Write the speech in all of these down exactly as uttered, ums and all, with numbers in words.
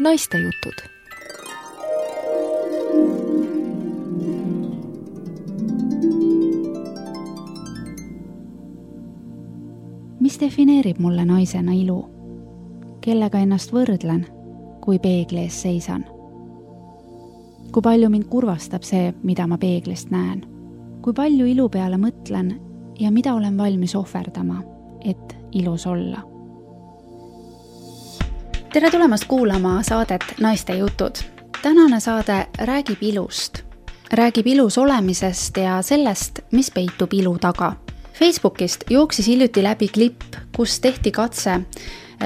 Naistejutud. Mis defineerib mulle naisena ilu? Kellega ennast võrdlen, kui peegli ees seisan? Kui palju mind kurvastab see, mida ma peeglist näen? Kui palju ilu peale mõtlen ja mida olen valmis ohverdama, et ilus olla? Tere tulemast kuulama saadet Naistejutud. Tänane saade räägib ilust. Räägib ilus olemisest ja sellest, mis peitub ilu taga. Facebookist jooksis hiljuti läbi klipp, kus tehti katse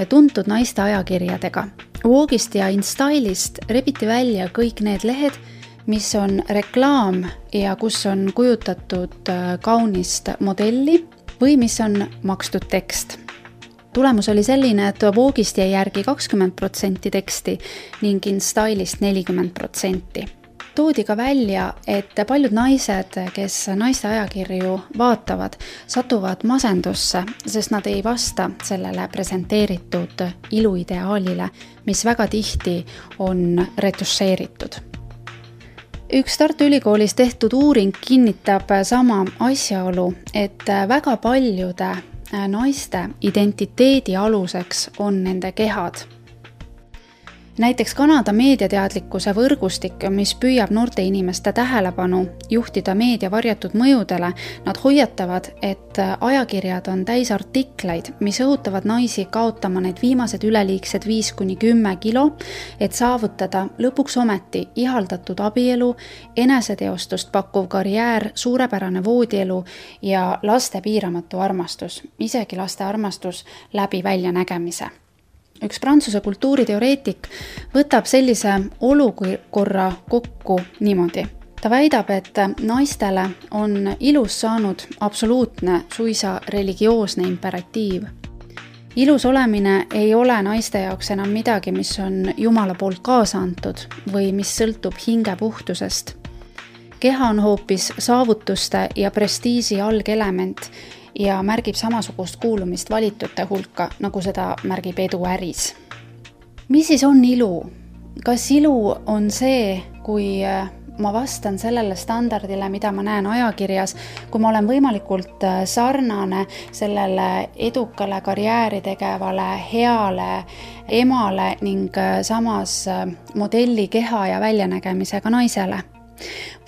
tuntud naiste ajakirjadega. Vogue'ist ja InStyle'ist rebiti välja kõik need lehed, mis on reklaam ja kus on kujutatud kaunist modelli või mis on makstud tekst. Tulemus oli selline, et Vogue'ist jäi järgi kakskümmend protsenti teksti ning InStyle'ist nelikümmend protsenti. Toodi ka välja, et paljud naised, kes naiste ajakirju vaatavad, satuvad masendusse, sest nad ei vasta sellele presenteeritud iluideaalile, mis väga tihti on retušeeritud. Üks Tartu Ülikoolis tehtud uuring kinnitab sama asjaolu, et väga paljude naiste identiteedi aluseks on nende kehad. Näiteks Kanada meediateadlikkuse võrgustik, mis püüab noorte inimeste tähelepanu juhtida meedia varjatud mõjudele, nad hoiatavad, et ajakirjad on täis artikleid, mis õhutavad naisi kaotama need viimased üleliigsed viis kuni kümme kilo, et saavutada lõpuks ometi ihaldatud abielu, eneseteostust pakkuv karjäär, suurepärane voodielu ja laste piiramatu armastus, isegi laste armastus läbi väljanägemise. Üks Prantsuse kultuuriteoreetik võtab sellise olukorra kokku niimoodi. Ta väidab, et naistele on ilus saanud absoluutne, suisa religioosne imperatiiv. Ilus olemine ei ole naiste jaoks enam midagi, mis on Jumala poolt kaasa antud või mis sõltub hinge puhtusest. Keha on hoopis saavutuste ja prestiisi algelement ja märgib samasugust kuulumist valitute hulka, nagu seda märgib edu äris. Mis siis on ilu? Kas ilu on see, kui ma vastan sellele standardile, mida ma näen ajakirjas, kui ma olen võimalikult sarnane sellele edukale karjääri tegevale, heale emale ning samas modelli keha ja väljanägemisega naisele?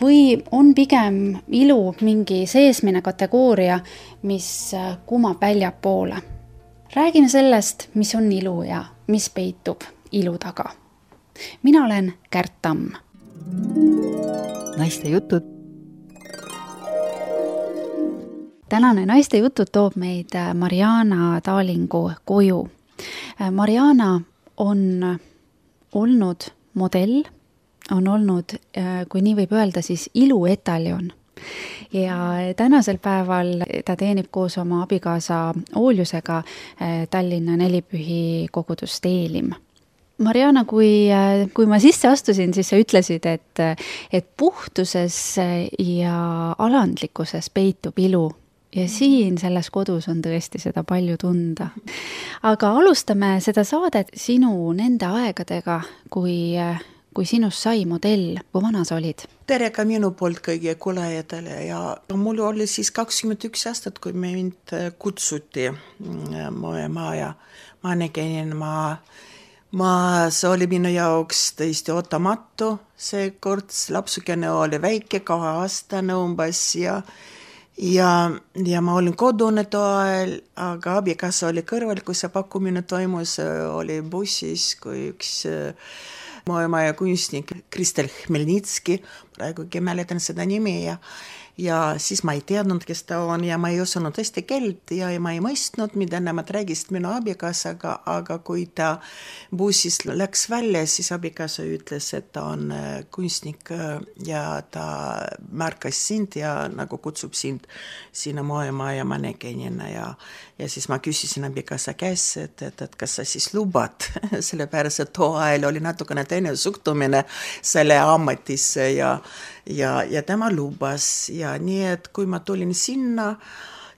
Või on pigem ilu mingi seesmine kategooria, mis kumab väljapoole? Räägime sellest, mis on ilu ja mis peitub ilu taga. Mina olen Kärt Tamm. Naistejutud. Tänane Naistejutud toob meid Mariana Taalingu koju. Mariana on olnud modell, on olnud, kui nii võib öelda, siis iluetaljon. Ja tänasel päeval ta teenib koos oma abikaasa Ooljusega Tallinna Nelipühi kogudust Eelim. Mariana, kui, kui ma sisse astusin, siis sa ütlesid, et, et puhtuses ja alandlikkuses peitub ilu. Ja siin selles kodus on tõesti seda palju tunda. Aga alustame seda saadet sinu nende aegadega, kui kui sinust sai modell, kui vana sa olid? Tere ka minu poolt kõigi kuulajatele ja mul oli siis kakskümmend üks aastat, kui mind kutsuti ma ja ma nägin, ma, ma, see oli minu jaoks tõesti ootamatu, see kord lapsukene oli väike, kahe aastane umbes ja Ja, ja ma olin kodune toel, aga abikaasa oli kõrval, kui see pakkumine toimus, oli bussis, kui üks maailma kunstnik Kristel Hmelnitski, praegugi mäletan seda nimi ja, ja siis ma ei teadnud, kes ta on ja ma ei osanud eesti keelt ja ma ei mõistnud, mida nemad räägisid minu abikaasaga, aga kui ta bussis läks välja, siis abikaasa ütles, et ta on kunstnik ja ta märkas sind ja nagu kutsub sind sinna maailma ja ma nägin ja, ja siis ma küsisin abikaasa käes, et, et, et kas sa siis lubad, sellepärast, et too ajal oli natukene teine suhtumine selle ametisse ja Ja, ja tema lubas ja nii, et kui ma tulin sinna,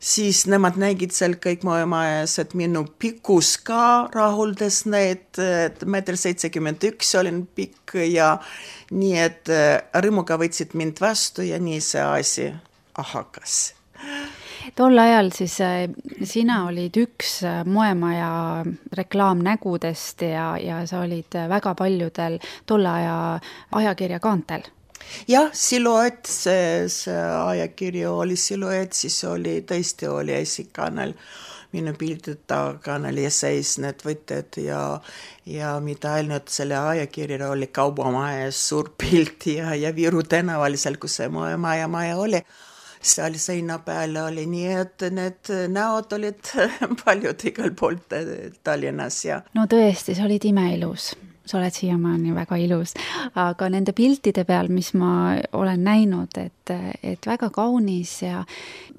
siis nemad nägid seal kõik mu majas, et minu pikkus ka rahuldas neid, et meeter seitsekümmend üks olin pikk ja nii, et rõõmuga võtsid mind vastu ja nii see asi hakkas. Tol ajal siis sina olid üks moemaja reklaamnägudest ja, ja sa olid väga paljudel tolle aja ajakirja kaantel. Jah, Siluett, see, see ajakirju oli Siluett, siis oli, tõesti oli esikanal, minu pildid taganal ja seis need võtted ja, ja mida ainult selle ajakirja oli kaubamajas suur pilt ja, ja Viru tänaval seal, kus see maja maja oli. Seal seina peal oli nii, et need näod olid paljud igal poolt Tallinnas. Ja. No tõesti, sa olid imeilus. Sa oled siiamaani väga ilus, aga nende piltide peal, mis ma olen näinud, et, et väga kaunis ja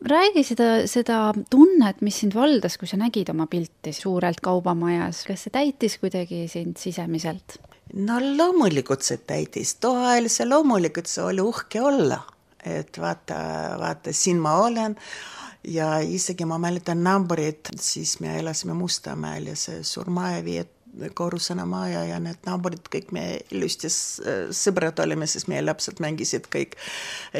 räägi seda, seda tunnet, mis sind valdas, kui sa nägid oma pilti suurelt kaubamajas. Kas see täitis kuidagi sind sisemiselt? No loomulikult see täitis. Too ajal see loomulikult see oli uhke olla, et vaata, vaata, siin ma olen ja isegi ma mäletan naabrid, siis me elasime Mustamäel ja see surmaja viiet korrusena maja ja need naaburid, kõik me ilusti sõbrad olime, sest meie lapsed mängisid kõik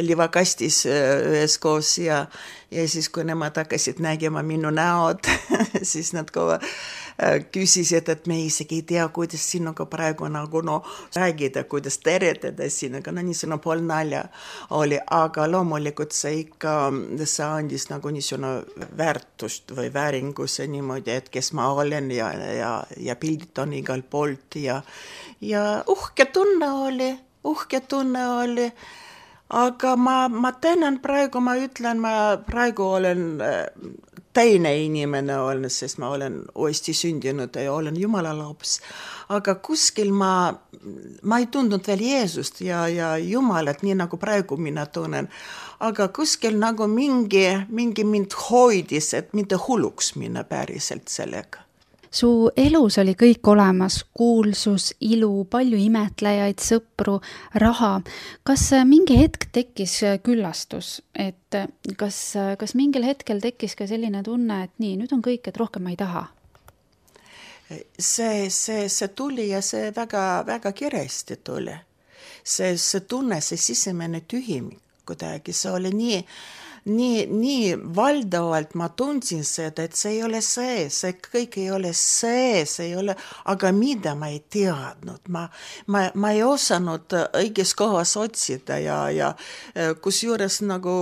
livakastis üheskoos ja, ja siis, kui nemad hakkasid nägema minu näod, siis nad kohe küsisid, et me isegi ei tea, kuidas sinuga praegu nagu no, räägida, kuidas teretada sinuga, no niisugune pool nalja oli, aga loomulikult see ikka, see andis nagu niisugune väärtust või vääringuse niimoodi, et kes ma olen ja, ja, ja pildid on igal poolt ja, ja uhke tunne oli, uhke tunne oli, aga ma, ma tänan praegu, ma ütlen, ma praegu olen teine inimene olen, sest ma olen uuesti sündinud ja olen Jumala laps. Aga kuskil ma, ma ei tundnud veel Jeesust ja, ja Jumalat, nii nagu praegu mina tunnen. Aga kuskil nagu mingi, mingi mind hoidis, et mitte hulluks minna päriselt sellega. Su elus oli kõik olemas, kuulsus, ilu, palju imetlejaid, sõpru, raha. Kas mingi hetk tekkis küllastus, et kas, kas mingil hetkel tekkis ka selline tunne, et nii, nüüd on kõik, et rohkem ma ei taha? See, see, see tuli ja see väga, väga kiiresti tuli. See, see tunne, see sisemene tühimik kuidagi, see oli nii... Nii, nii valdavalt ma tundsin seda, et see ei ole see, see kõik ei ole see, see ei ole, aga mida ma ei teadnud, ma, ma, ma ei osanud õiges kohas otsida ja, ja kus juures nagu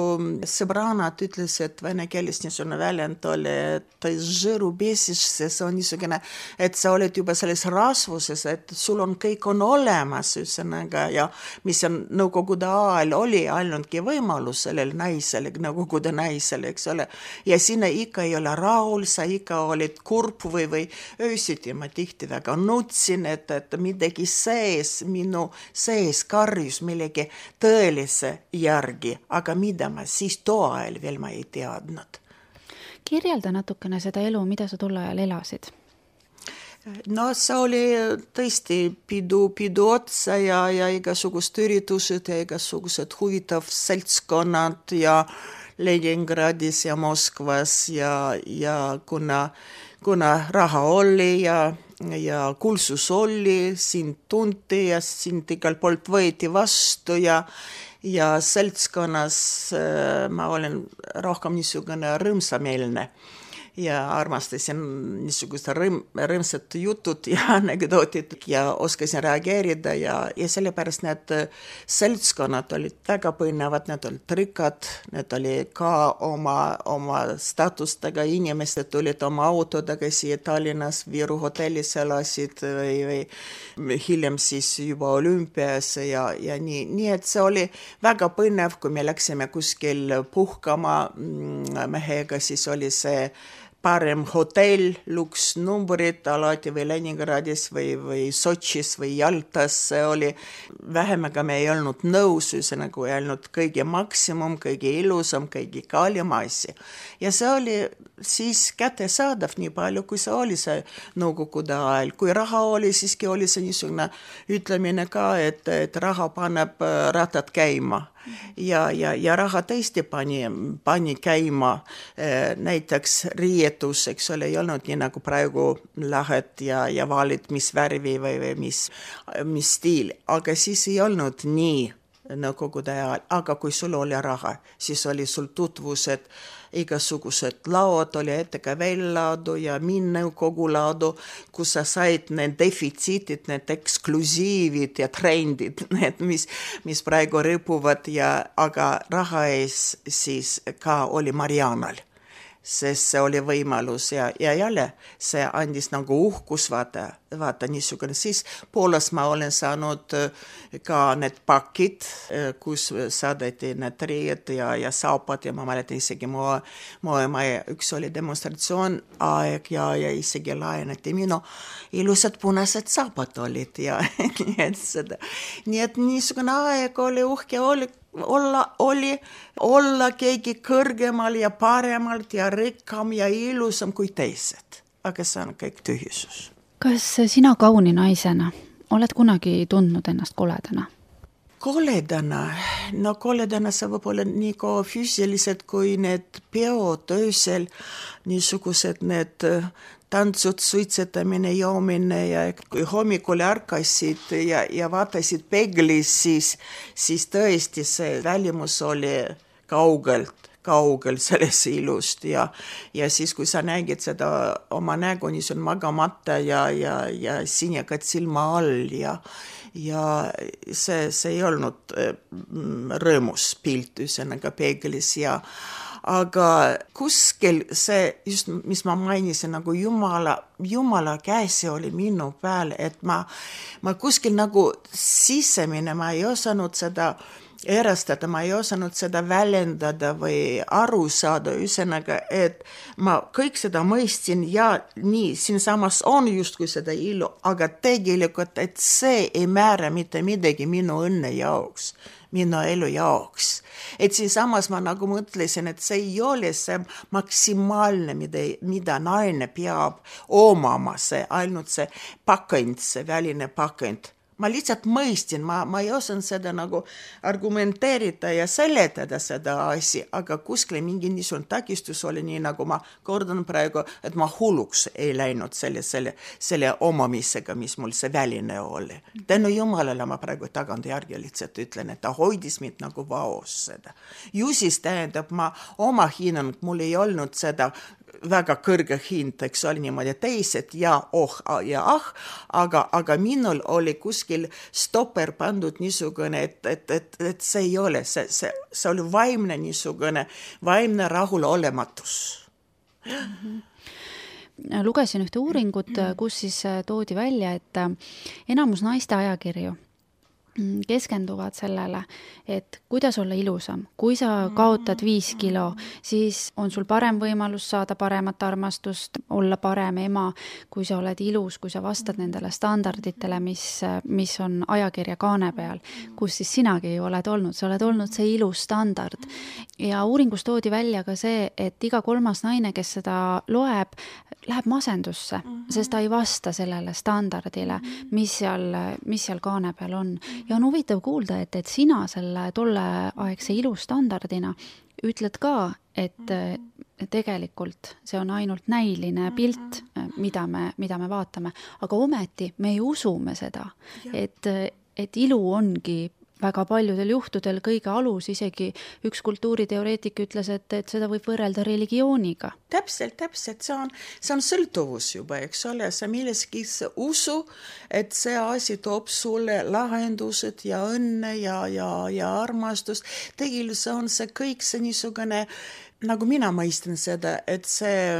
sõbranad ütles, et vene keeles niisugune väljend oli, et žõru besiš, see on niisugune, et sa oled juba selles rasvuses, et sul on kõik on olemas üsõnaga ja mis on nõukogude ajal oli ainultki võimalus sellel naisel, nõukogude naisel, eks ole. Ja sinna ikka ei ole rahul, sa ikka olid kurb või, või öösiti ma tihti väga nutsin, et, et midagi sees, minu sees karjus millegi tõelise järgi, aga mida ma siis too ajal veel ma ei teadnud. Kirjelda natukene seda elu, mida sa tol ajal elasid? No see oli tõesti pidu, pidu otsa ja, ja igasugused üritused ja igasugused huvitav seltskonnad ja Leningradis ja Moskvas ja, ja kuna, kuna raha oli ja, ja kuulsus oli, sind tunti ja sind igal poolt võeti vastu ja, ja seltskonnas ma olen rohkem niisugune rõõmsameelne. Ja armastasin niisugused rõõm, rõõmsad jutud ja anekdootid ja oskasin reageerida ja, ja sellepärast need seltskonnad olid väga põnevad, need olid rikkad, need oli ka oma, oma statustega inimesed tulid oma autodega siia Tallinnas, Viru hotellis elasid või, või hiljem siis juba olümpias ja, ja nii, nii, et see oli väga põnev, kui me läksime kuskil puhkama mehega, siis oli see parem hotell, luks numbrid alati või Leningradis või, või Sotšis või Jaltas, see oli vähemaga me ei olnud nõus, ühesõnaga ei olnud kõige maksimum, kõige ilusam, kõige kallim asi. Ja see oli siis kättesaadav nii palju, kui see oli see nõukogude ajal. Kui raha oli, siiski oli see niisugune ütlemine ka, et, et raha paneb ratad käima. Ja, ja, ja raha tõesti pani, pani käima näiteks riietus, eks ole, ei olnud nii nagu praegu lähed ja, ja valid, mis värvi või, või mis, mis stiil, aga siis ei olnud nii nõukogude ajal, aga kui sul oli raha, siis oli sul tutvused, igasugused laod oli ette ka väljalaadu ja minnõukogu laadu, kus sa said need defitsiitid, need eksklusiivid ja trendid, need, mis, mis praegu rõpuvad, ja, aga raha ees siis ka oli Marianal, sest see oli võimalus ja, ja jälle see andis nagu uhkus, vaata, vaata niisugune. Siis Poolas ma olen saanud ka need pakid, kus saadeti need riied ja, ja saapad ja ma mäletan isegi moe, moemaja, üks oli demonstratsioon aeg ja, ja isegi laenati minu ilusad punased saapad olid ja nii et seda. Nii et niisugune aeg oli uhke, oli olla, oli olla keegi kõrgemal ja paremalt ja rikkam ja ilusam kui teised. Aga see on kõik tühisus. Kas sina kauni naisena oled kunagi tundnud ennast koledana? Koledana? No koledana sa võib olla nii ka füüsiliselt kui need peod öösel, niisugused need tantsud, suitsetamine, joomine ja kui hommikul ärkasid ja, ja vaatasid peeglis, siis, siis tõesti see välimus oli kaugelt, kaugel sellest ilust ja, ja siis kui sa nägid seda oma nägu, nii see on magamata ja, ja, ja sinekad silma all ja ja see, see ei olnud rõõmus pilt üsnaga peeglis ja aga kuskil see, just mis ma mainisin, nagu Jumala, Jumala käsi oli minu peal, et ma, ma kuskil nagu sisemine, ma ei osanud seda erastada, ma ei osanud seda väljendada või aru saada, üsnaga, et ma kõik seda mõistsin ja nii, siin samas on justkui seda ilu, aga tegelikult, et see ei määra mitte midagi minu õnne jaoks, minu elu jaoks. Et siin samas ma nagu mõtlesin, et see ei ole see maksimaalne, mida, mida naine peab omama, see ainult see pakend, see väline pakend. Ma lihtsalt mõistin, ma, ma ei osanud seda nagu argumenteerida ja seletada seda asi, aga kuskil mingi niisugune takistus oli nii, nagu ma kordan praegu, et ma hulluks ei läinud selle, selle, selle omamisega, mis mul see väline oli. Tänu Jumalale ma praegu tagantjärgi lihtsalt ütlen, et ta hoidis mind nagu vaos seda. Ju siis tähendab, ma oma hinnang, mul ei olnud seda väga kõrge hind, eks oli niimoodi teised ja oh ja ah, aga, aga minul oli kuskil stopper pandud niisugune, et, et, et, et see ei ole, see, see, see oli vaimne niisugune, vaimne rahulolematus. Mm-hmm. Lugesin ühte uuringut, kus siis toodi välja, et enamus naiste ajakirju keskenduvad sellele, et kuidas olla ilusam. Kui sa kaotad viis kilo, siis on sul parem võimalus saada paremat armastust, olla parem ema, kui sa oled ilus, kui sa vastad nendele standarditele, mis, mis on ajakirja kaane peal, kus siis sinagi ju oled olnud. Sa oled olnud see ilus standard. Ja uuringus toodi välja ka see, et iga kolmas naine, kes seda loeb, läheb masendusse, sest ta ei vasta sellele standardile, mis seal, mis seal kaane peal on. Ja on huvitav kuulda, et, et sina selle tolleaegse ilustandardina ütled ka, et tegelikult see on ainult näiline pilt, mida me, mida me vaatame, aga ometi me ei usume seda, et, et ilu ongi väga paljudel juhtudel kõige alus, isegi üks kultuuriteoreetik ütles, et, et seda võib võrrelda religiooniga. Täpselt, täpselt, see on, see on sõltuvus juba, eks ole, sa milleski usu, et see asi toob sulle lahendused ja õnne ja, ja, ja armastust. Tegelikult on see kõik see niisugune, nagu mina mõistan seda, et see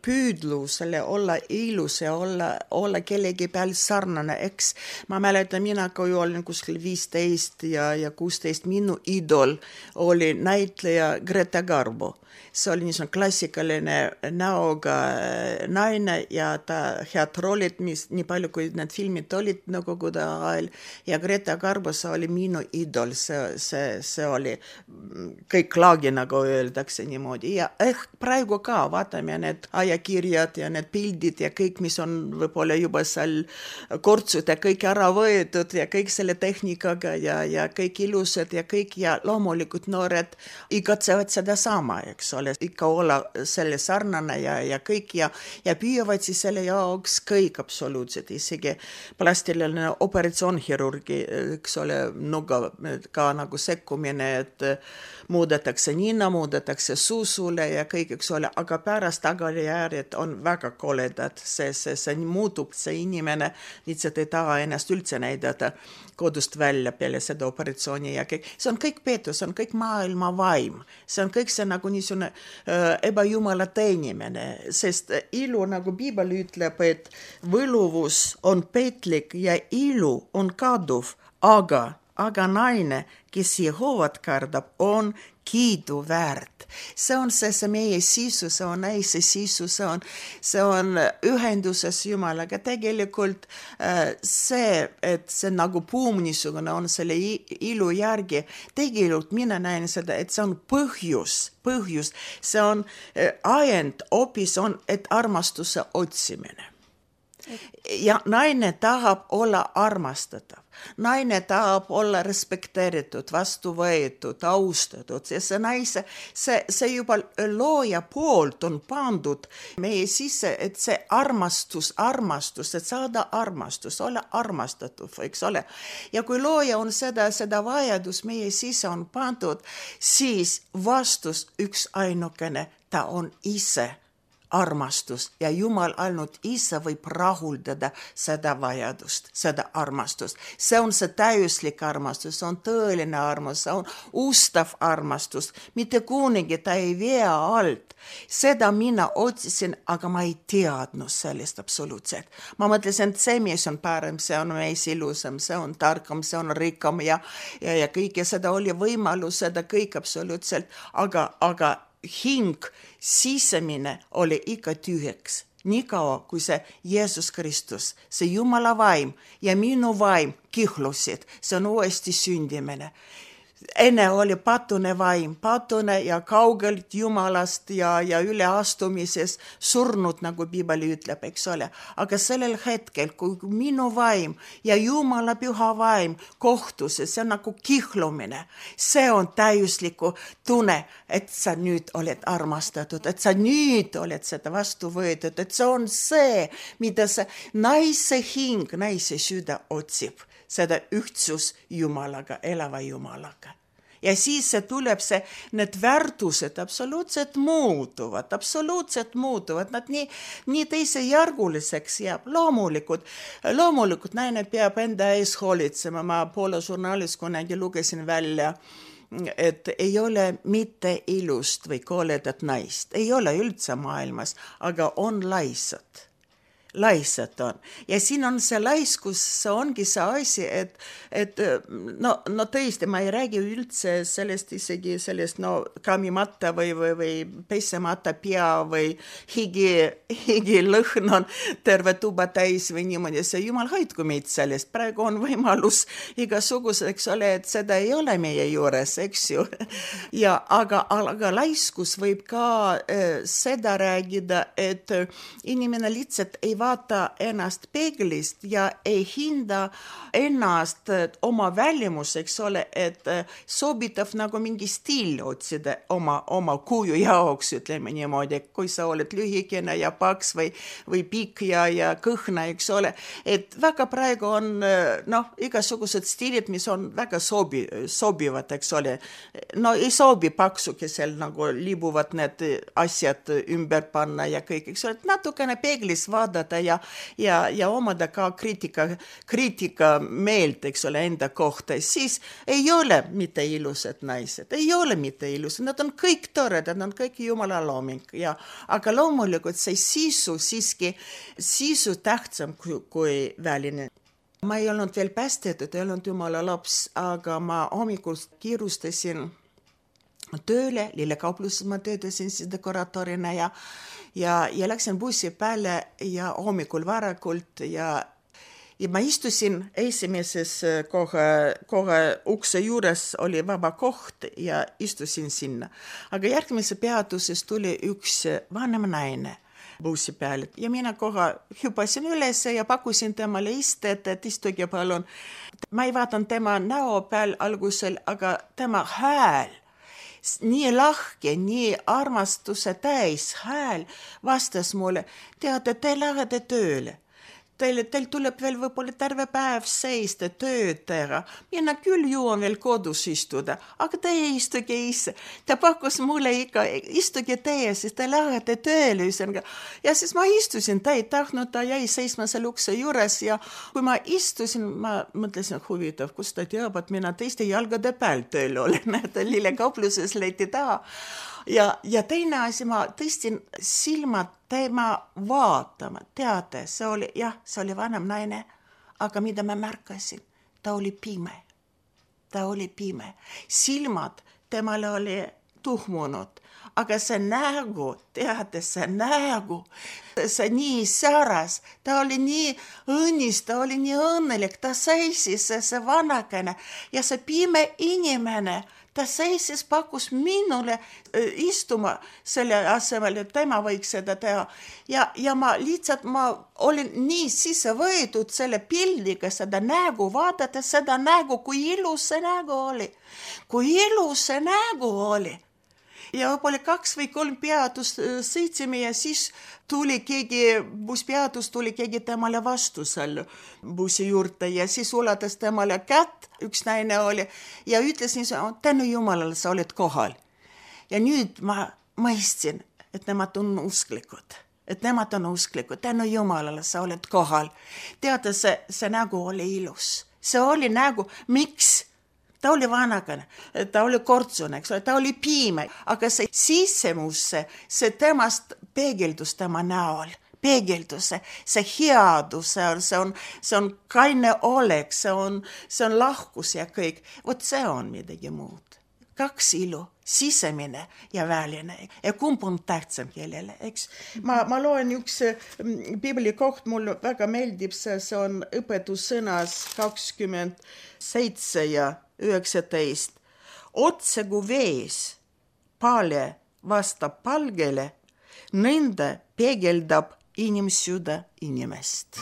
püüdlus, selle olla ilus ja olla, olla kellegi peal sarnane, eks ma mäletan, mina kui olin kuskil viisteist ja, ja kuusteist, minu idol oli näitleja Greta Garbo see oli niisugune klassikaline näoga naine ja ta head roolid, mis nii palju, kui need filmid olid Nõukogude ajal ja Greta Garbo, see oli minu idol, see, see, see oli kõik laagi, nagu öeldakse niimoodi ja ehk praegu ka vaatame need ajakirjad ja need pildid ja kõik, mis on võib-olla juba seal kortsud ja kõik ära võetud ja kõik selle tehnikaga ja, ja kõik ilusad ja kõik ja loomulikult noored igatsevad seda sama, eks ole, ikka olla selle sarnane ja, ja kõik ja, ja püüavad siis selle jaoks kõik absoluutselt, isegi plastiline operatsioonhirurgi, eks ole, nuga ka nagu sekkumine, et muudetakse nina, muudetakse suusule ja kõik, eks ole, aga pärast tagajärjed on väga koledad, see, see, see muutub, see inimene lihtsalt ei taha ennast üldse näidata kodust välja peale seda operatsiooni ja kõik, see on kõik peetus, see on kõik maailma vaim, see on kõik see nagu niisugune äh, ebajumala teenimine, sest ilu, nagu Piibel ütleb, et võluvus on petlik ja ilu on kaduv, aga aga naine, kes Jehovat kardab, on kiidu väärt. See on see, see meie sisu, see on naise sisu, see on, see on ühenduses Jumalaga. Tegelikult see, et see nagu puum niisugune on selle ilu järgi, tegelikult mina näen seda, et see on põhjus, põhjus, see on ajend, hoopis on, et armastuse otsimine. Ja naine tahab olla armastatav. Naine tahab olla respekteeritud, vastu võetud, austatud. Ja see naise, see, see juba looja poolt on pandud meie sisse, et see armastus, armastus, et saada armastus, olla armastatud, eks ole. Ja kui looja on seda, seda vajadus meie sisse on pandud, siis vastus üks ainukene, ta on ise armastus ja Jumal ainult ise võib rahuldada seda vajadust, seda armastust. See on see täiuslik armastus, see on tõeline armastus, see on ustav armastus, mitte kunagi ta ei vea alt. Seda mina otsisin, aga ma ei teadnud sellest absoluutselt. Ma mõtlesin, et see mees on parem, see on mees ilusam, see on tarkam, see on rikkam ja, ja, ja kõik ja seda oli võimalus, seda kõik absoluutselt, aga, aga hing, sisemine oli ikka tühjaks. Nii kaua, kui see Jeesus Kristus, see Jumala vaim ja minu vaim kihlusid, see on uuesti sündimine. Enne oli patune vaim, patune ja kaugelt Jumalast ja, ja üleastumises surnud, nagu Piibel ütleb, eks ole. Aga sellel hetkel, kui minu vaim ja Jumala püha vaim kohtuses, see on nagu kihlumine. See on täiusliku tunne, et sa nüüd oled armastatud, et sa nüüd oled seda vastu võetud, et see on see, mida see naise hing, naise süda otsib. Seda ühtsus Jumalaga, elava Jumalaga. Ja siis see tuleb see, need väärtused absoluutselt muutuvad, absoluutselt muutuvad, nad nii, nii teisejärguliseks jääb. Loomulikult, loomulikult naine peab enda ees hoolitsema, ma Poola žurnaalis kunagi lugesin välja, et ei ole mitte ilust või koledat naist, ei ole üldse maailmas, aga on laisad. Laisad on. Ja siin on see laiskus, see ongi see asi, et, et no, no tõesti, ma ei räägi üldse sellest isegi sellest, no kamimata või, või, või pesemata pea või higi, higi lõhn on terve tuba täis või niimoodi, see Jumal hoidku meid sellest. Praegu on võimalus igasugused, eks ole, et seda ei ole meie juures, eks ju. Ja, aga, aga laiskus võib ka äh, seda räägida, et inimene lihtsalt ei vaata ennast peeglist ja ei hinda ennast oma välimus, eks ole, et sobitav nagu mingi stiil otsida oma, oma kuju jaoks, ütleme niimoodi, kui sa oled lühikene ja paks või, või pikk ja, ja kõhna, eks ole, et väga praegu on noh, igasugused stiilid, mis on väga sobi, sobivad, eks ole, no ei sobi paksukesel nagu libuvad need asjad ümber panna ja kõik, eks ole, et natukene peeglis vaadata ja, ja, ja omada ka kriitika, kriitika meelt, eks ole, enda kohta, siis ei ole mitte ilusad naised, ei ole mitte ilusad, nad on kõik toredad, nad on kõik Jumala looming, ja, aga loomulikult see sisu siiski, sisu tähtsam kui, kui väline. Ma ei olnud veel päästetud, ei olnud Jumala laps, aga ma hommikul kiirustasin tööle, lillekaupluses ma töötasin siis dekoraatorina ja, ja, ja läksin bussi peale ja hommikul varakult ja, ja ma istusin esimeses kohe, kohe ukse juures oli vaba koht ja istusin sinna. Aga järgmise peatuses tuli üks vanem naine bussi peale ja mina kohe hüpasin üles ja pakkusin temale istet, et istuge palun. Ma ei vaatan tema näo peal algusel, aga tema hääl, nii lahke, nii armastuse täis hääl vastas mulle, teate, te lähete tööle. Teil, teil tuleb veel võib-olla terve päev seista, tööd teha. Mina küll jõuan veel kodus istuda, aga teie istuge ise. Ta pakkus mulle ikka, istuge teie, siis te lähete tööle. Ja siis ma istusin, ta ei tahtnud, ta jäi seisma selle ukse juures ja kui ma istusin, ma mõtlesin, huvitav, kus ta teab, et mina teiste jalgade peal tööl olen, et lillekaupluses leiti taha. Ja, ja teine asi, ma tõstin silmad tema vaatama. Teate, see oli, jah, see oli vanem naine, aga mida ma märkasin, ta oli pime. Ta oli pime. Silmad temale oli tuhmunud, aga see nägu, teate, see nägu, see nii säras, ta oli nii õnnis, ta oli nii õnnelik, ta seisis, see, see vanakene ja see pime inimene, ta seisis, pakkus minule istuma selle asemel, et tema võiks seda teha. Ja, ja ma lihtsalt, ma olin nii sisse võetud selle pildiga, seda nägu, vaadata seda nägu, kui ilus see nägu oli. Kui ilus see nägu oli. Ja võib-olla kaks või kolm peatust sõitsime ja siis tuli keegi, busspeatus tuli keegi temale vastu seal bussi juurde ja siis ulatas temale kätt, üks naine oli ja ütlesin, tänu Jumalale sa oled kohal. Ja nüüd ma mõistsin, et nemad on usklikud, et nemad on usklikud, tänu Jumalale sa oled kohal. Teate, see, see nägu oli ilus, see oli nägu, miks? Ta oli vanakene, ta oli kortsune, ta oli piime, aga see sisemusse, see temast peegeldus tema näol, peegeldus, see headus, see on, see on, see on kaine olek, see on, see on lahkus ja kõik. Vot see on midagi muud. Kaks ilu, sisemine ja väline. Ja kumb on tähtsam kellele, eks? Ma, ma loen üks Bibli koht, mul väga meeldib see, see on õpetussõnas kakskümmend seitse ja üheksateist. Otse kui vees paale vastab palgele, nõnda peegeldab inimsüda inimest.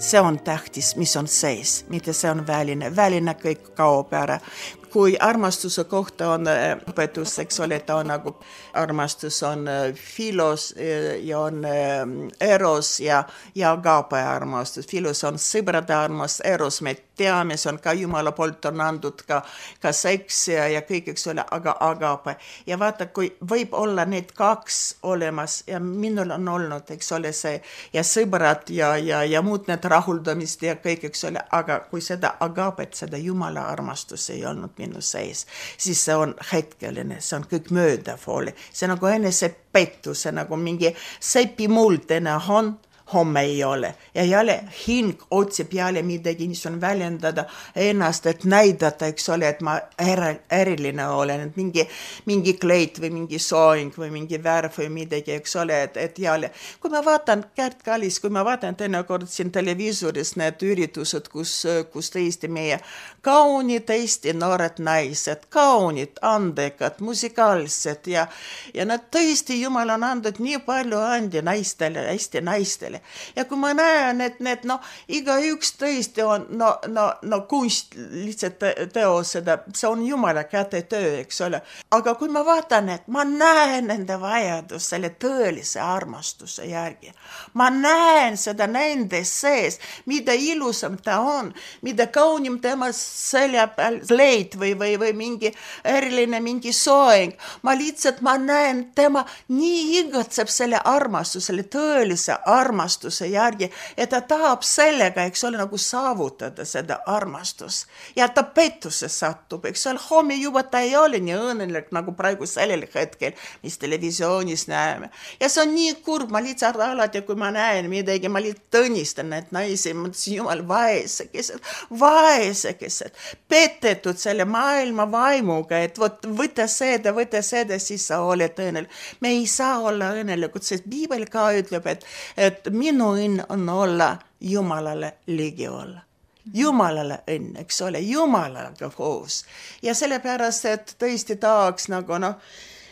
See on tähtis, mis on sees, mitte see on väline. Väline kõik kaob ära. kui armastuse kohta on õpetus, eks ole, ta on nagu armastus on filos ja on eros ja, ja agape armastus. Filos on sõbrade armastus, eros me teame, see on ka Jumala poolt on andud ka, ka seks ja, ja kõik, eks ole, aga agape. Ja vaata, kui võib olla need kaks olemas ja minul on olnud, eks ole, see ja sõbrad ja, ja, ja muud need rahuldamist ja kõik, eks ole, aga kui seda agapet, seda Jumala armastus ei olnud minu sees, siis see on hetkeline, see on kõik möödafooli. See nagu enese pettus, see nagu mingi sepi muld enne on, homme ei ole. Ja jälle hing otsib jälle midagi, mis on väljendada ennast, et näidata, eks ole, et ma eriline olen, et mingi, mingi kleit või mingi soeng või mingi värv või midagi, eks ole, et, et jälle. Kui ma vaatan Kärt Kallis, kui ma vaatan teinekord siin televiisoris need üritused, kus, kus tõesti meie kaunid, tõesti noored naised, kaunid, andekad, musikaalsed ja, ja nad tõesti Jumal on andnud nii palju andi naistele, hästi naistele. Ja kui ma näen, et need, no, iga üks tõesti on, no, no, no kunst lihtsalt teo seda, see on Jumala käte töö, eks ole. Aga kui ma vaatan, et ma näen nende vajadus selle tõelise armastuse järgi, ma näen seda nende sees, mida ilusam ta on, mida kaunim tema selja peal leid või, või, või mingi eriline mingi soeng, ma lihtsalt, ma näen tema nii igatseb selle armastuse, selle tõelise armastuse järgi, et ta tahab sellega, eks ole, nagu saavutada seda armastus. Ja ta pettusse satub, eks ole, homme juba ta ei ole nii õnnelik, nagu praegu sellel hetkel, mis televisioonis näeme. Ja see on nii kurb, ma lihtsalt alati, kui ma näen midagi, ma lihtsalt tõnistan need naisi, ma mõtlesin, jumal, vaesekesed, vaesekesed, petetud selle maailma vaimuga, et võt, võta seda, võta seda, siis sa oled õnnelik. Me ei saa olla õnnelikud, sest Piibel ka ütleb, et, et minu õnn on olla Jumalale ligi olla. Jumalale õnn, eks ole, Jumalaga koos. Ja sellepärast, et tõesti tahaks nagu, noh,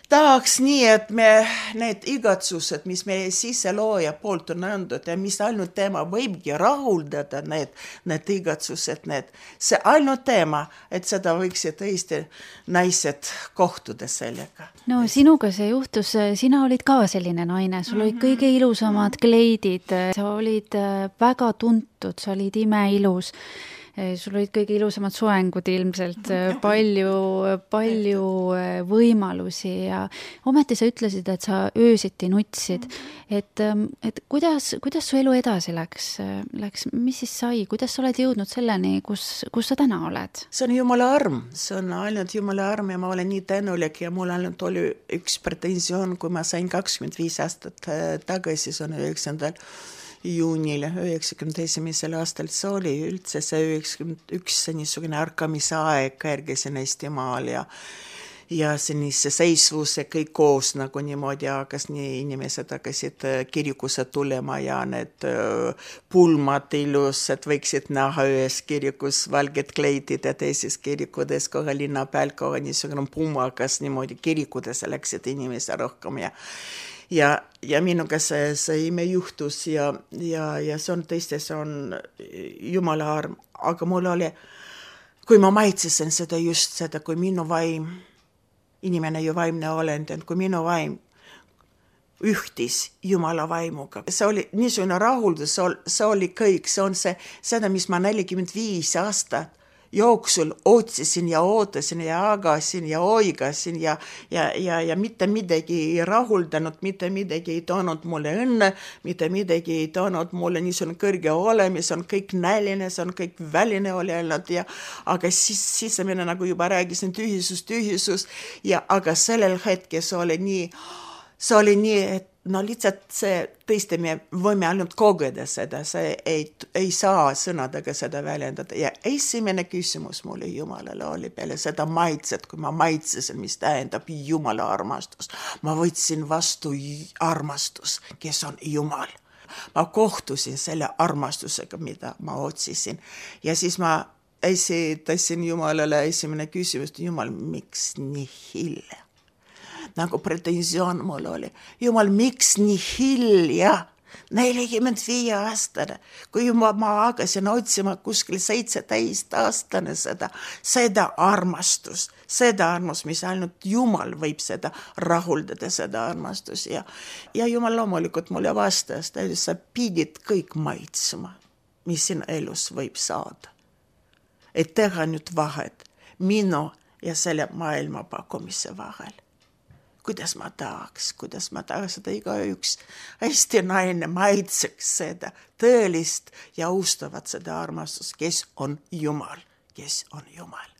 tahaks nii, et me need igatsused, mis meie siselooja poolt on andnud ja mis ainult tema võibki rahuldada, need, need igatsused, need, see ainult tema, et seda võiksid tõesti naised kohtuda sellega. No sinuga see juhtus, sina olid ka selline naine, sul olid kõige ilusamad kleidid, sa olid väga tuntud, sa olid imeilus. Sul olid kõige ilusamad soengud ilmselt, palju, palju võimalusi ja ometi sa ütlesid, et sa öösiti nutsid. Et, et kuidas, kuidas su elu edasi läks? läks? Mis siis sai? Kuidas sa oled jõudnud selleni, kus, kus sa täna oled? See on Jumala arm. See on ainult Jumala arm ja ma olen nii tänulik ja mul ainult oli üks pretensioon, kui ma sain kakskümmend viis aastat tagasi, see on üheksandal juunil üheksakümne esimesel aastal, see oli üldse see üheksakümmend üks niisugune ärkamise aeg järgisin Eestimaal ja ja see seisvus ja kõik koos nagu niimoodi hakkas, nii inimesed hakkasid kirikusse tulema ja need pulmad ilus, et võiksid näha ühes kirikus valged kleidid ja teises kirikudes kohe linna peal kohe niisugune pumakas niimoodi kirikudesse läksid inimesed rohkem ja Ja, ja minuga see, see ime juhtus ja, ja, ja see on tõesti, see on Jumala arm, aga mul oli, kui ma maitsesin seda just seda, kui minu vaim, inimene ju vaimne olend, kui minu vaim ühtis Jumala vaimuga. See oli niisugune rahuldus, see oli kõik, see on see, seda, mis ma nelikümmend viis aastat jooksul otsisin ja ootasin ja agasin ja oigasin ja, ja, ja, ja mitte midagi ei rahuldanud, mitte midagi ei toonud mulle õnne, mitte midagi ei toonud mulle niisugune kõrge olemis, on kõik näline, see on kõik väline oli olnud ja aga siis, siis mina nagu juba räägisin tühisus, tühisus ja aga sellel hetkel see oli nii, see oli nii, et no lihtsalt see tõesti me võime ainult kogeda seda, see ei, ei saa sõnadega seda väljendada ja esimene küsimus mulle Jumalale oli peale seda maitset, kui ma maitsesin, mis tähendab Jumala armastus. Ma võtsin vastu armastus, kes on Jumal. Ma kohtusin selle armastusega, mida ma otsisin ja siis ma esitasin Jumalale esimene küsimus, Jumal, miks nii hilja? Nagu pretensioon mul oli. Jumal, miks nii hilja? nelikümmend viie aastane, kui ma, ma hakkasin otsima kuskil seitseteist aastane seda, seda armastust, seda armastust, mis ainult Jumal võib seda rahuldada, seda armastus ja, ja Jumal loomulikult mulle vastas, ta ütles, sa pidid kõik maitsema, mis siin elus võib saada. Et teha nüüd vahet minu ja selle maailma pakkumise vahel. Kuidas ma tahaks, kuidas ma tahaks seda igaüks hästi naine maitseks seda tõelist ja austavat seda armastust, kes on Jumal, kes on Jumal.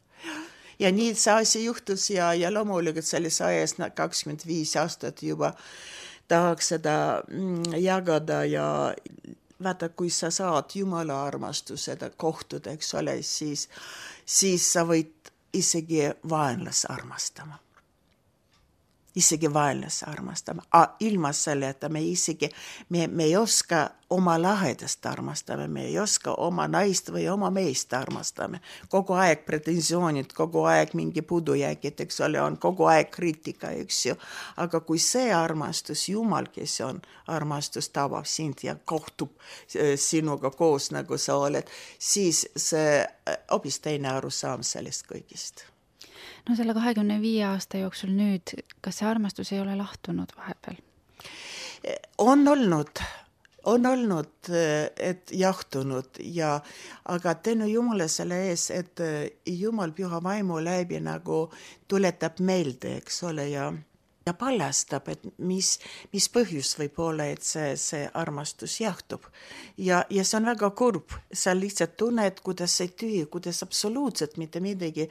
Ja nii see asi juhtus ja, ja loomulikult selles ajas kakskümmend viis aastat juba tahaks seda jagada ja vaata, kui sa saad Jumala armastuseda kohtuda, eks ole, siis, siis sa võid isegi vaenlas armastama. Isegi vaenlas armastama. A, ilma selle, et me isegi, me, me ei oska oma lahedast armastama, me ei oska oma naist või oma meest armastama. Kogu aeg pretensioonid, kogu aeg mingi pudujäägid, eks ole, on kogu aeg kriitika, eks ju. Aga kui see armastus, Jumal, kes on armastus, tabab sind ja kohtub sinuga koos, nagu sa oled, siis see hoopis teine arusaam sellest kõigist. No selle kahekümne viie aasta jooksul nüüd, kas see armastus ei ole lahtunud vahepeal? On olnud, on olnud, et jahtunud, ja, aga tänu Jumala selle ees, et Jumal püha vaimu läbi nagu tuletab meelde, eks ole, ja ja paljastab, et mis, mis põhjus võib olla, et see, see armastus jahtub. Ja, ja see on väga kurb. Sa lihtsalt tunned, kuidas see tühi, kuidas absoluutselt mitte midagi.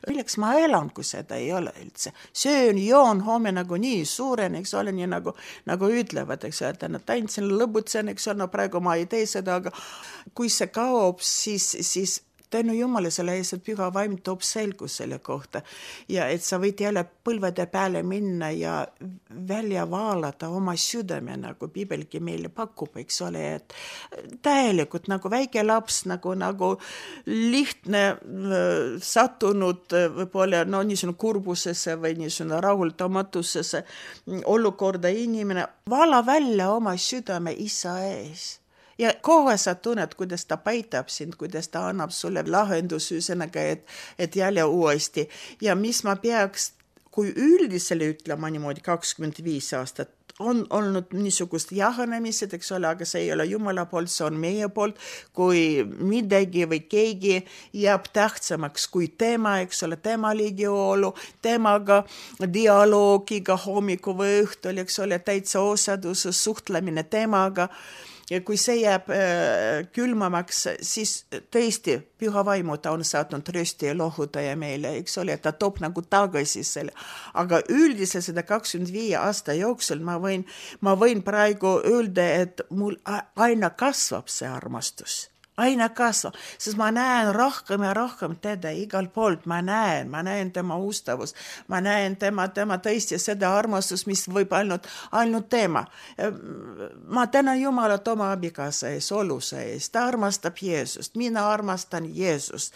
Milleks ma elan, kui seda ei ole üldse. Söön, joon, homme nagu nii suuren, eks ole, nii nagu, nagu ütlevad, eks ole, et nad tantsin, lõbutsen, eks ole, no praegu ma ei tee seda, aga kui see kaob, siis, siis tänu Jumala selle ees, et püha vaim toob selgus selle kohta ja et sa võid jälle põlvede peale minna ja välja vaalata oma südame, nagu Piibelgi meile pakub, eks ole, et täielikult nagu väike laps, nagu, nagu lihtne sattunud võib-olla no, niisugune kurbusesse või niisugune rahuldamatusesse olukorda inimene, vaala välja oma südame isa ees. Ja kohe sa tunned, kuidas ta paitab sind, kuidas ta annab sulle lahendus üsenaga, et, et jälle uuesti. Ja mis ma peaks, kui üldisele ütlema niimoodi kakskümmend viis aastat, on olnud niisugust jahanemised, eks ole, aga see ei ole Jumala poolt, see on meie poolt, kui midagi või keegi jääb tähtsamaks kui tema, eks ole, tema ligiolu, temaga dialoogiga hommiku või õhtul, eks ole, täitsa osadus, suhtlemine temaga. Ja kui see jääb äh, külmamaks, siis tõesti püha vaimu ta on saatnud rösti ja lohutaja meile, eks ole, ta toob nagu tagasi selle. Aga üldiselt seda kakskümmend viie aasta jooksul ma võin, ma võin praegu öelda, et mul aina kasvab see armastus. Aina kasvab, sest ma näen rohkem ja rohkem teda igal poolt, ma näen, ma näen tema ustavust, ma näen tema, tema tõesti seda armastust, mis võib ainult, ainult tema. Ma tänan Jumalat oma abikaasa ees, oluse ees, ta armastab Jeesust, mina armastan Jeesust.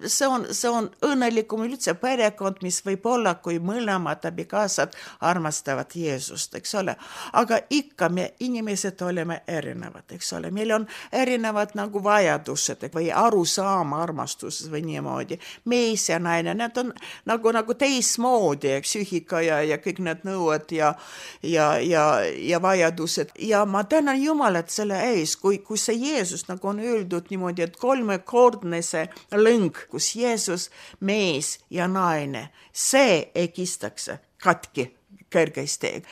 See on, see on õnnelikum üldse perekond, mis võib olla, kui mõlemad abikaasad armastavad Jeesust, eks ole. Aga ikka me inimesed oleme erinevad, eks ole, meil on erinevad nagu vajadused või arusaama armastuses või niimoodi. Mees ja naine, need on nagu, nagu teismoodi, psüühika ja, ja kõik need nõued ja, ja, ja, ja vajadused. Ja ma tänan Jumalat selle ees, kui, kui see Jeesus nagu on öeldud niimoodi, et kolmekordne see lõng, kus Jeesus, mees ja naine, see ei kistaks katki kõrgesti.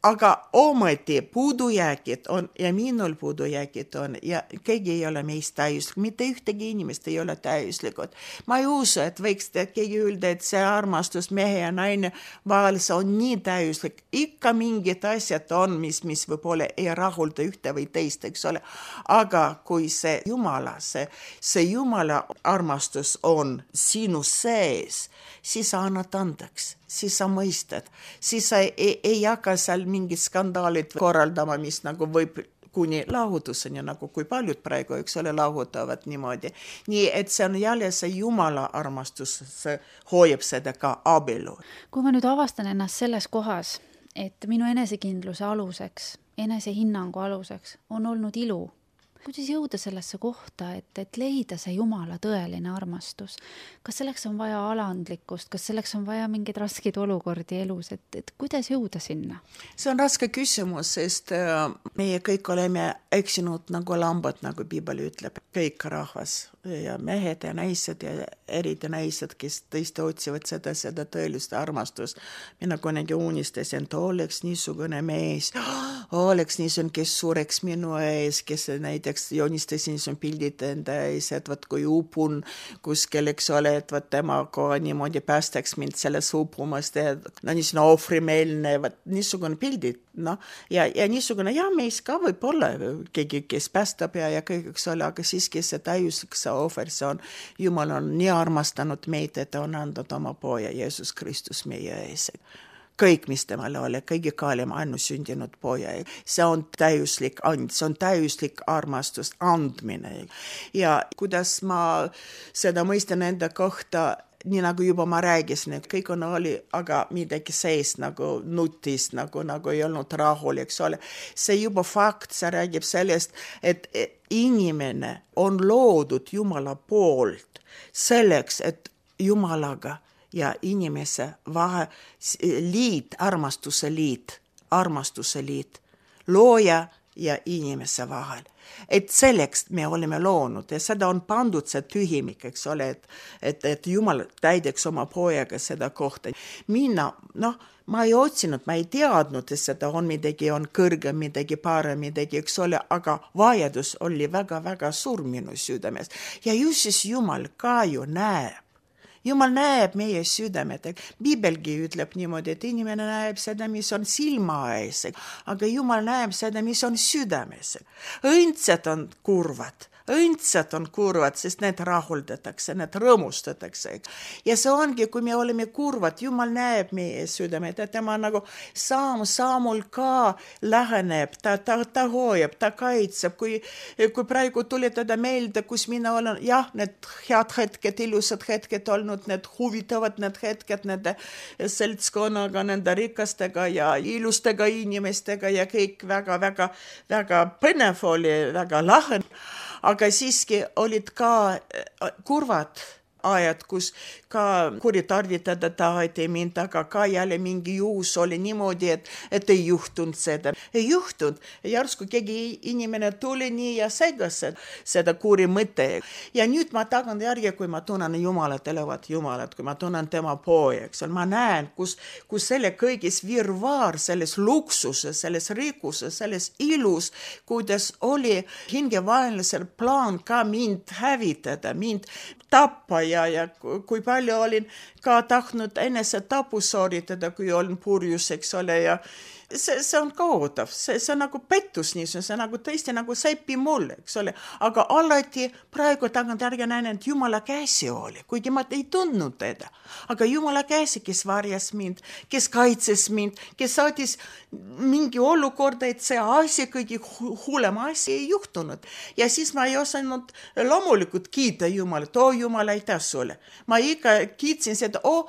Aga ometi puudujäägid on ja minul puudujäägid on ja keegi ei ole meist täiuslik, mitte ühtegi inimest ei ole täiuslikud. Ma ei usu, et võiks keegi öelda, et see armastus mehe ja naine vahel on nii täiuslik. Ikka mingid asjad on, mis, mis võib-olla ei rahulda ühte või teist, eks ole. Aga kui see Jumala, see, see Jumala armastus on sinu sees, siis sa annad andeks, siis sa mõistad, siis sa ei, ei jaga seal mingid skandaalid korraldama, mis nagu võib kuni lahutuseni, nagu kui paljud praegu, eks ole, lahutavad niimoodi. Nii, et see on jälle see Jumala armastus, see hoiab seda ka abielu. Kui ma nüüd avastan ennast selles kohas, et minu enesekindluse aluseks enesehinnangu aluseks on olnud ilu. Kuidas jõuda sellesse kohta, et, et leida see Jumala tõeline armastus? Kas selleks on vaja alandlikkust, kas selleks on vaja mingeid raskeid olukordi elus, et, et kuidas jõuda sinna? See on raske küsimus, sest meie kõik oleme eksinud nagu lambad, nagu Piibel ütleb, kõik rahvas ja mehed ja naised ja eriti naised, kes tõesti otsivad seda, seda tõelist armastust. Mina kunagi unistasin, et oleks niisugune mees, oleks niisugune, kes sureks minu ees, kes näiteks joonistasin niisugune pildid enda ees, et võt kui upun kuskil, eks ole, et võt temaga niimoodi päästaks mind selles upumast, no niisugune ohvrimeelne, võt niisugune pildid, no, ja, ja niisugune, ja mees ka võib olla keegi, kes päästab ja, ja kõik, eks ole, aga siiski see täiuslik see ohver, see on, Jumal on nii armastanud meid, et on andnud oma poja Jeesus Kristus meie ees. Kõik, mis temale oli, kõige kaalem ainusündinud poja. See on täiuslik and, see on täiuslik armastus, andmine. Ja kuidas ma seda mõistan enda kohta, nii nagu juba ma räägisin, et kõik on oli, aga midagi sees nagu nutis, nagu, nagu ei olnud rahul, eks ole. See juba fakt, see räägib sellest, et inimene on loodud Jumala poolt selleks, et Jumalaga ja inimese vahe liit, armastuse liit, armastuse liit, looja ja inimese vahel. Et selleks me oleme loonud ja seda on pandud see tühimik, eks ole, et, et, et Jumal täideks oma pojaga seda kohta. Mina, noh, ma ei otsinud, ma ei teadnud, et seda on midagi, on kõrge, midagi parem, midagi, eks ole, aga vajadus oli väga-väga suur minu südames. Ja just siis Jumal ka ju näeb. Jumal näeb meie südamed. Piibelgi ütleb niimoodi, et inimene näeb seda, mis on silma ees, aga Jumal näeb seda, mis on südames. Õndsad on kurvad. Õndsad on kurvad, sest need rahuldatakse, need rõõmustatakse. Ja see ongi, kui me oleme kurvad, Jumal näeb meie südamed, et tema nagu saam saamul ka läheneb, ta, ta, ta hoiab, ta kaitseb. Kui, kui praegu tuletada meelde, kus mina olen, jah, need head hetked, ilusad hetked olnud, need huvitavad need hetked, nende seltskonnaga, nende rikastega ja ilustega inimestega ja kõik väga, väga, väga põnev oli, väga lahe. Aga siiski olid ka kurvad ajad, kus ka kuritarvitada taheti mind, aga ka jälle mingi juhus oli niimoodi, et, et ei juhtunud seda. Ei juhtunud. Järsku keegi inimene tuli nii ja segas seda kuri mõte. Ja nüüd ma tagan järgi, kui ma tunnen Jumalat, elevat Jumalat, kui ma tunnen tema poja, eks ma näen, kus, kus selle kõigis virvaar, selles luksuses, selles rikkuses, selles ilus, kuidas oli hingevaenlasel plaan ka mind hävitada, mind tappa ja, ja kui palju olin ka tahtnud enese tapu sooritada, kui olin purjus, eks ole, ja see, see on kaotav, see, see on nagu pettus niisugune, see on nagu tõesti nagu säpi mul, eks ole, aga alati praegu tagant järgi näen, et Jumala käsi oli, kuigi ma ei tundnud teda, aga Jumala käsi, kes varjas mind, kes kaitses mind, kes saatis mingi olukorda, et see asi, kõige hullem asi ei juhtunud. Ja siis ma ei osanud loomulikult kiita Jumalat, oo Jumal, aitäh sulle. Ma ikka kiitsin seda, oo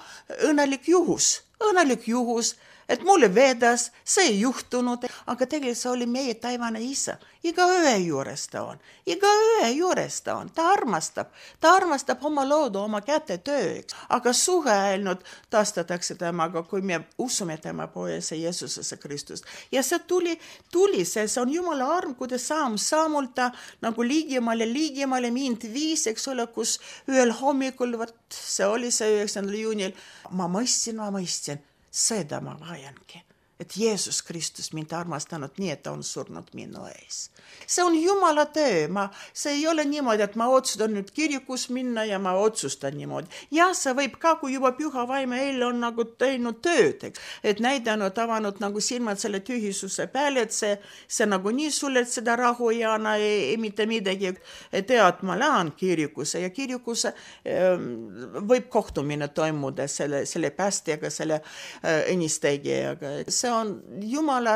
õnnelik juhus, õnnelik juhus, et mulle vedas, see ei juhtunud, aga tegelikult see oli meie taivane isa. Iga ühe juures ta on, iga ühe juures ta on, ta armastab, ta armastab oma loodu, oma käte tööks, aga suhe ainult taastatakse temaga, kui me usume tema pojasse Jeesusesse Kristust. Ja see tuli, tuli see, see on Jumala arm, kuidas saam, saamult ta nagu liigimale, liigimale mind viis, eks ole, kus ühel hommikul, võt, see oli see üheksandal juunil, ma mõistsin, ma mõistsin, seda ma vajangi, et Jeesus Kristus mind armastanud nii, et ta on surnud minu ees. See on Jumala töö, ma, see ei ole niimoodi, et ma otsustan nüüd kirikus minna ja ma otsustan niimoodi. Ja see võib ka, kui juba püha vaime eile on nagu teinud tööd, et näidanud, avanud nagu silmad selle tühisuse peale, et see, see nagu nii sulle, et seda rahu ei anna, ei, ei mitte midagi, tead, ma lähen kirikusse ja kirikusse ähm, võib kohtumine toimuda selle, selle päästjaga, selle äh, õnnistegijaga. See see on Jumala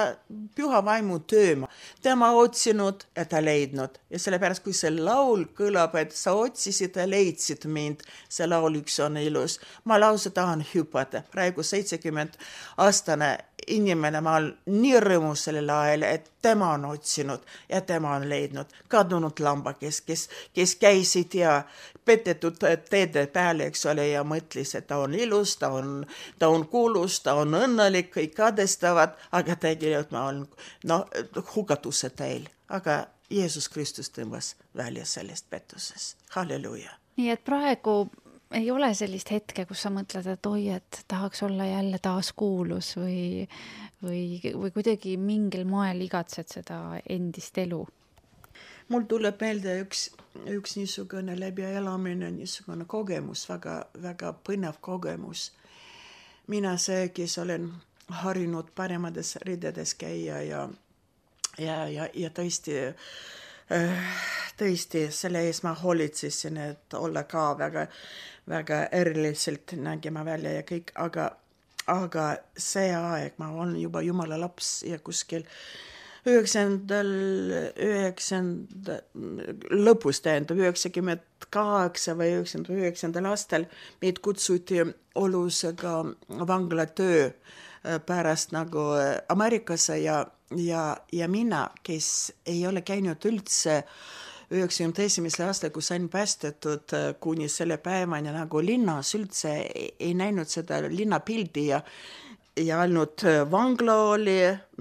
püha vaimu töö. Tema otsinud ja ta leidnud. Ja sellepärast, kui see laul kõlab, et sa otsisid ja leidsid mind, see laul üks on ilus. Ma lausa tahan hüpata. Praegu seitsekümmend aastane inimene, ma olen nii rõõmus sellel ajal, et tema on otsinud ja tema on leidnud. Kadunud lambakes, kes, kes käisid ja petetud teede peale, eks ole, ja mõtlis, et ta on ilus, ta on, ta on kuulus, ta on õnnelik, kõik kadestavad, aga tegelikult ma olen no, hukatuse teil. Aga Jeesus Kristus tõmbas välja sellest pettuses. Halleluja. Nii et praegu ei ole sellist hetke, kus sa mõtled, et oi, et tahaks olla jälle taas kuulus või, või, või kuidagi mingil moel igatsed seda endist elu. Mul tuleb meelde üks, üks niisugune läbi elamine, niisugune kogemus, väga, väga põnev kogemus. Mina see, kes olen harinud paremades ridedes käia ja, ja, ja, ja tõesti, tõesti selle ees ma hoolitsesin, et olla ka väga, väga eriliselt nägema välja ja kõik, aga, aga see aeg ma olen juba Jumala laps ja kuskil üheksandal, üheksandal, lõpus tähendab, üheksakümmend kaheksa või üheksakümmend üheksandal aastal meid kutsuti olusega vanglatöö pärast nagu Ameerikasse ja, ja, ja mina, kes ei ole käinud üldse üheksakümne esimesel aastal, kui sain päästetud kuni selle päevani nagu linnas üldse ei näinud seda linnapildi ja ja ainult vangla oli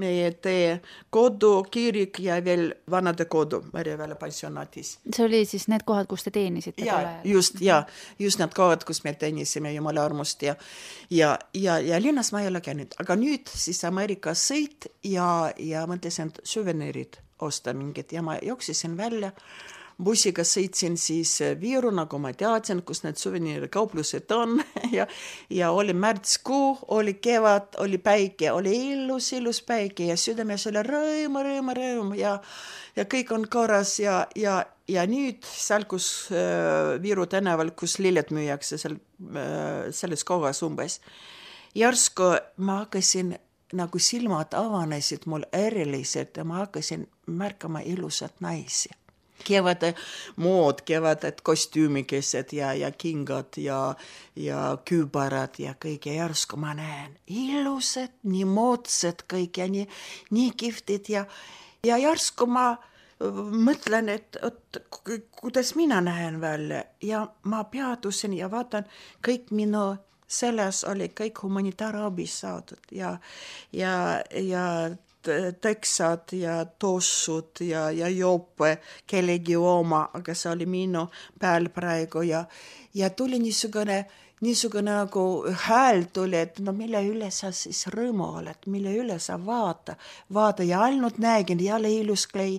meie tee, kodu, kirik ja veel vanade kodu Märjaväele pensionatis. See oli siis need kohad, kus te teenisite? Ja, just, ja, just need kohad, kus me teenisime Jumala armust ja, ja, ja, ja linnas ma ei ole käinud, aga nüüd siis Ameerika sõit ja, ja mõtlesin süveneerid osta mingid ja ma jooksisin välja. Bussiga sõitsin siis Viiru, nagu ma teadsin, kus need suveneerikauplused on ja, ja oli märtskuu, oli kevad, oli päike, oli ilus, ilus päike ja südames oli rõõm, rõõm, rõõm ja, ja kõik on korras ja, ja, ja nüüd seal, kus äh, Viiru tänaval, kus lilled müüakse seal, äh, selles kohas umbes. Järsku ma hakkasin, nagu silmad avanesid mul eriliselt ja ma hakkasin märkama ilusat naisi. Kevade mood, kevaded kostüümikesed ja, ja kingad ja, ja kübarad ja kõik ja järsku ma näen ilusad, nii moodsad kõik ja nii, nii kihvtid ja, ja järsku ma mõtlen, et, et kuidas mina näen välja ja ma peatusin ja vaatan kõik minu selles oli kõik humanitaarabis saadud ja, ja, ja teksad ja tossud ja, ja jope kellegi oma, aga see oli minu peal praegu ja, ja tuli niisugune, niisugune nagu hääl tuli, et no mille üle sa siis rõõmu oled, mille üle sa vaata, vaata ja ainult nägin jälle ilus klei,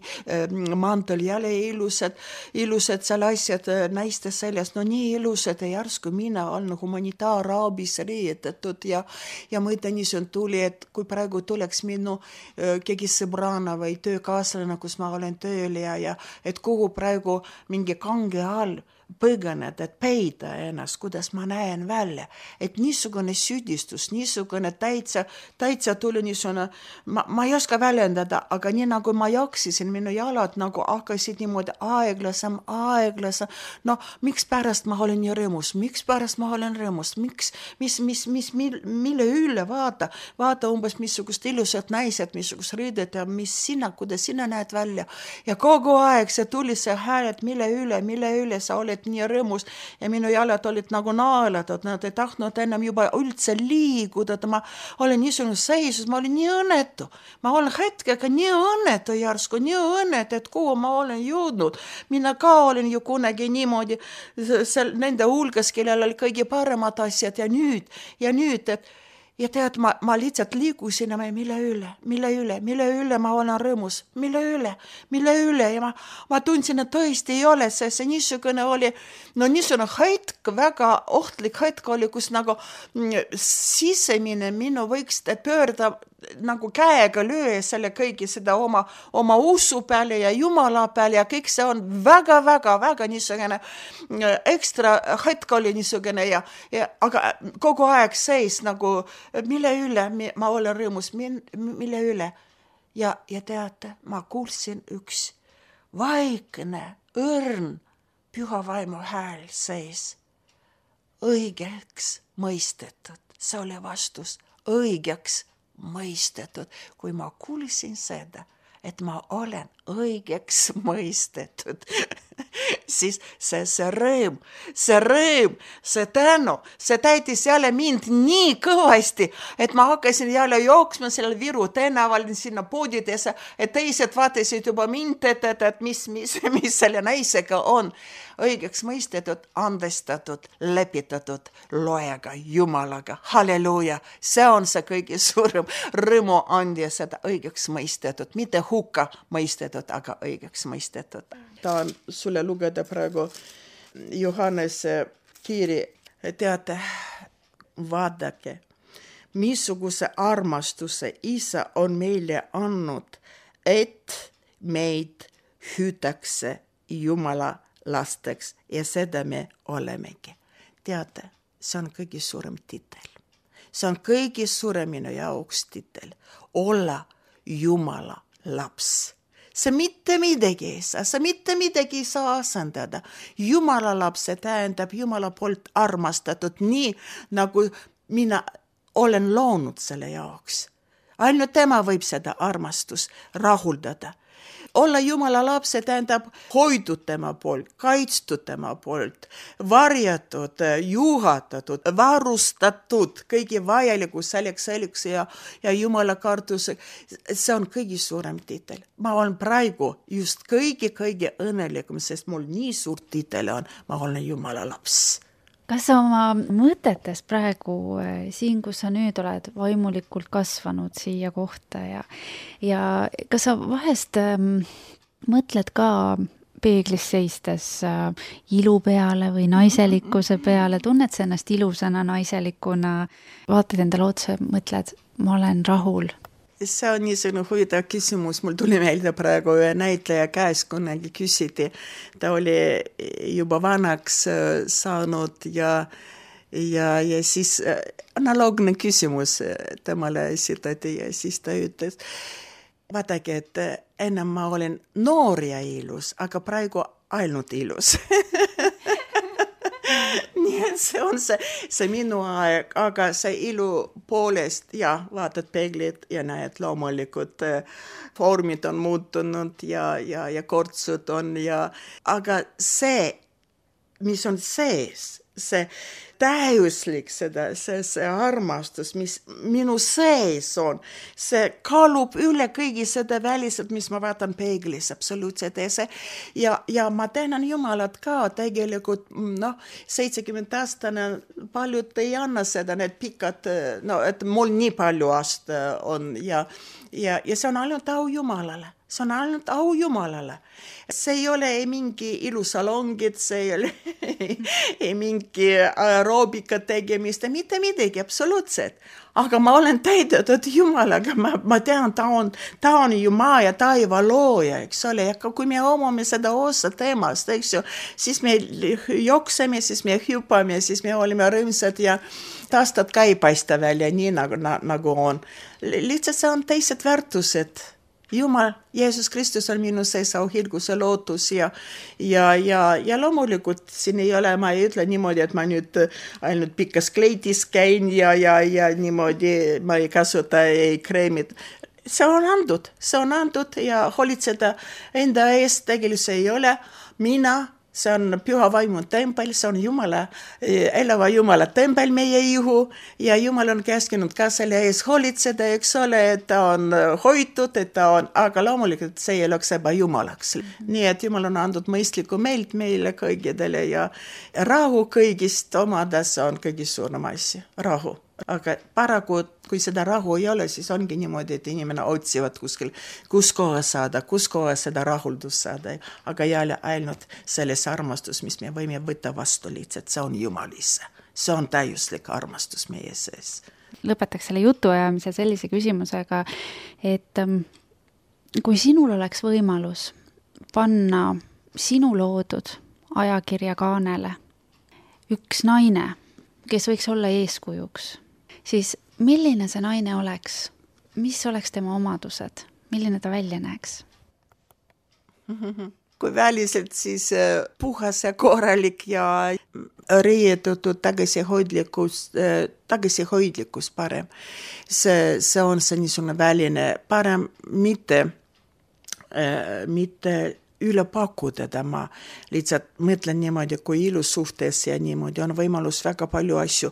mantel, jälle ilusad, ilusad seal asjad naiste seljas, no nii ilusad ja järsku mina olen humanitaarabis riietatud ja, ja mõte niisugune tuli, et kui praegu tuleks minu keegi sõbrana või töökaaslane, kus ma olen tööl ja, ja et kuhu praegu mingi kange all põgened, et peida ennast, kuidas ma näen välja. Et niisugune süüdistus, niisugune täitsa, täitsa tuli niisugune, ma, ma ei oska väljendada, aga nii nagu ma joksisin, minu jalad nagu hakkasid niimoodi aeglasem, aeglasem. No, miks pärast ma olen nii rõõmus? Miks pärast ma olen rõõmus? Miks, mis, mis, mis, mille üle vaata? Vaata umbes missugust ilusat naised, missugust riidet ja mis sina, kuidas sina näed välja. Ja kogu aeg see tuli see hääl, et mille üle, mille üle sa oled nii rõõmus ja minu jalad olid nagu naelatud, nad ei tahtnud enam juba üldse liiguda, ma olen niisugune seisus, ma olin nii õnnetu, ma olen hetkega nii õnnetu järsku, nii õnnetu, et kuhu ma olen jõudnud, mina ka olen ju kunagi niimoodi seal, nende hulgas, kellel oli kõige paremad asjad ja nüüd, ja nüüd, et ja tead, ma, ma lihtsalt liigusin, mille üle, mille üle, mille üle ma olen rõõmus, mille üle, mille üle ja ma, ma tundsin, et tõesti ei ole see, see niisugune oli, no niisugune hetk, väga ohtlik hetk oli, kus nagu sisemine minu võiks pöörda nagu käega löö selle kõigi seda oma, oma usu peale ja Jumala peale ja kõik see on väga-väga-väga niisugune ekstra hetk oli niisugune ja, ja aga kogu aeg seis nagu, mille üle ma olen rõõmus, mille üle. Ja, ja teate, ma kuulsin üks vaikne, õrn, püha vaimu hääl seis. Õigeks mõistetud. See oli vastus. Õigeks mõistetud. Kui ma kuulsin seda, et ma olen õigeks mõistetud, siis see, see rõõm, see rõõm, see tänu, see täitis jälle mind nii kõvasti, et ma hakkasin jälle jooksma sellel Viru tänaval sinna poodidesse, et teised vaatasid juba mind, et, et, et mis, mis, mis selle naisega on. Õigeks mõistetud, andestatud, lepitatud loega, Jumalaga. Halleluuja! See on see kõige suurem rõõmu andja seda õigeks mõistetud, mitte hukka mõistetud, aga õigeks mõistetud. Tahan sulle lugeda praegu Johannese kiiri. Teate, vaadake, missuguse armastuse Isa on meile andnud, et meid hüütakse Jumala lasteks ja seda me olemegi. Teate, see on kõige suurem titel. See on kõige suurem minu jaoks titel. Olla Jumala laps. See mitte midagi ei saa, see mitte midagi ei saa asendada. Jumala laps, see tähendab Jumala poolt armastatud nii, nagu mina olen loonud selle jaoks. Ainult tema võib seda armastus rahuldada. Olla Jumala lapse tähendab hoidud tema poolt, kaitstud tema poolt, varjatud, juhatatud, varustatud, kõigi vajaliku selleks selleks ja, ja Jumala kartus. See on kõige suurem titel. Ma olen praegu just kõige-kõige õnnelikum, sest mul nii suur titel on, ma olen Jumala laps. Kas sa oma mõtetes praegu siin, kus sa nüüd oled vaimulikult kasvanud siia kohta ja, ja kas sa vahest ähm, mõtled ka peeglis seistes äh, ilu peale või naiselikkuse peale, tunned sa ennast ilusana naiselikuna, vaatad endale otsa, mõtled, ma olen rahul? See on niisugune huvitav küsimus. Mul tuli meelde praegu ühe näitleja käes, kunagi küsiti. Ta oli juba vanaks saanud ja, ja, ja siis analoogne küsimus temale esitati ja siis ta ütles, vaadake, et ennem ma olen noor ja ilus, aga praegu ainult ilus. Nii et see on see, see minu aeg, aga see ilu poolest, ja vaatad peeglid ja näed loomulikult vormid on muutunud ja, ja, ja kortsud on ja, aga see, mis on sees, see täiuslik seda, see, see armastus, mis minu sees on, see kaalub üle kõigi seda väliselt, mis ma vaatan peeglis, absoluutselt. Ja, ja, ja ma tänan Jumalat ka tegelikult, noh, seitsekümmend aastane paljud ei anna seda, need pikad, no, et mul nii palju aasta on ja, ja, ja see on ainult au Jumalale. See on ainult au Jumalale. See ei ole ei mingi ilusalongid, see ei ole ei mingi aeroobika tegemist, mitte midagi, absoluutselt. Aga ma olen täidetud Jumalaga, ma, ma tean, ta on, ta on ju maa ja taiva looja, eks ole, ja kui me omame seda osa teemast, eks ju, siis me jookseme, siis me hüppame, siis me oleme rõõmsad ja taastad ka ei paista välja nii nagu, nagu on. Lihtsalt see on teised väärtused. Jumal, Jeesus Kristus on minu sees auhilguse lootus ja, ja, ja, ja loomulikult siin ei ole, ma ei ütle niimoodi, et ma nüüd ainult pikas kleidis käin ja, ja, ja niimoodi ma ei kasuta ei kreemid. See on andud, see on andud ja hoolitseda enda eest tegelikult ei ole. Mina, see on püha vaimu tempel, see on Jumala, elava Jumala tempel meie ihu ja Jumal on käskinud ka selle ees hoolitseda, eks ole, et ta on hoitud, et ta on, aga loomulikult see ei oleks eba Jumalaks. Nii et Jumal on andnud mõistlikku meelt meile kõigidele ja rahu kõigist omades on kõige suurem asja. Rahu. aga paraku, kui seda rahu ei ole, siis ongi niimoodi, et inimene otsivad kuskil, kus kohas saada, kus kohas seda rahuldust saada, aga jälle ainult selles armastus, mis me võime võtta vastu lihtsalt, see on Jumal ise. See on täiuslik armastus meie sees. Lõpetaks selle jutuajamise sellise küsimusega, et kui sinul oleks võimalus panna sinu loodud ajakirja kaanele üks naine, kes võiks olla eeskujuks, siis milline see naine oleks? Mis oleks tema omadused? Milline ta välja näeks? Kui väliselt, siis puhas ja korralik ja riietutud tagasihoidlikkus, tagasihoidlikkus parem. See, see on see niisugune väline parem, mitte, mitte üle pakkuda tema. Lihtsalt mõtlen niimoodi, kui ilus suhtes ja niimoodi on võimalus väga palju asju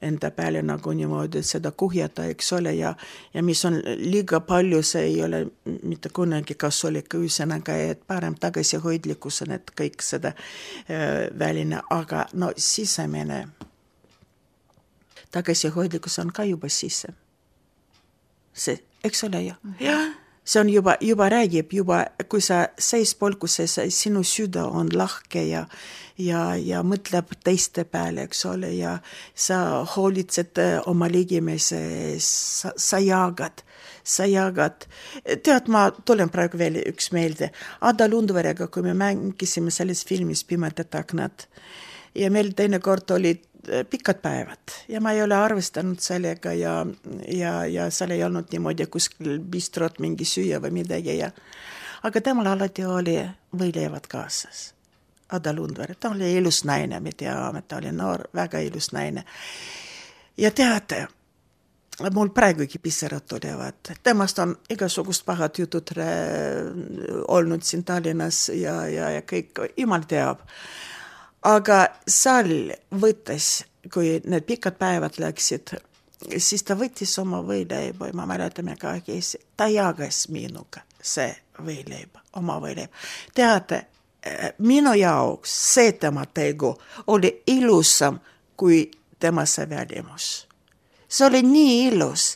enda peale nagu niimoodi seda kuhjata, eks ole, ja, ja mis on liiga palju, see ei ole mitte kunagi kasulik üsõnaga, et parem tagasihoidlikkus on, et kõik seda äh, väline, aga no sisemine tagasihoidlikkus on ka juba sisse. See, eks ole ju? Jah. See on juba, juba räägib, juba, kui sa seis polkuses, sinu süda on lahke ja, ja, ja mõtleb teiste peale, eks ole, ja sa hoolitsed oma ligimise, sa, sa jagad, sa jagad. Tead, ma tulen praegu veel üks meelde. Ada Lundverega, kui me mängisime selles filmis Pimedad aknad ja meil teine kord olid pikad päevad ja ma ei ole arvestanud sellega ja, ja, ja seal ei olnud niimoodi kuskil bistrot mingi süüa või midagi. Ja. Aga temal alati oli võileivad kaasas. Ada Lundver, ta oli ilus naine, me teame, ta oli noor, väga ilus naine. Ja teate, mul praegugi pisarad tulevad. Temast on igasugust pahad jutud olnud siin Tallinnas ja, ja, ja kõik, jumal teab. Aga seal võttes, kui need pikad päevad läksid, siis ta võttis oma võileiba, ma mäletame ka, ta jagas minuga see võileiba, oma võileiba. Teate, minu jaoks see tema tegu oli ilusam kui tema see välimus. See oli nii ilus.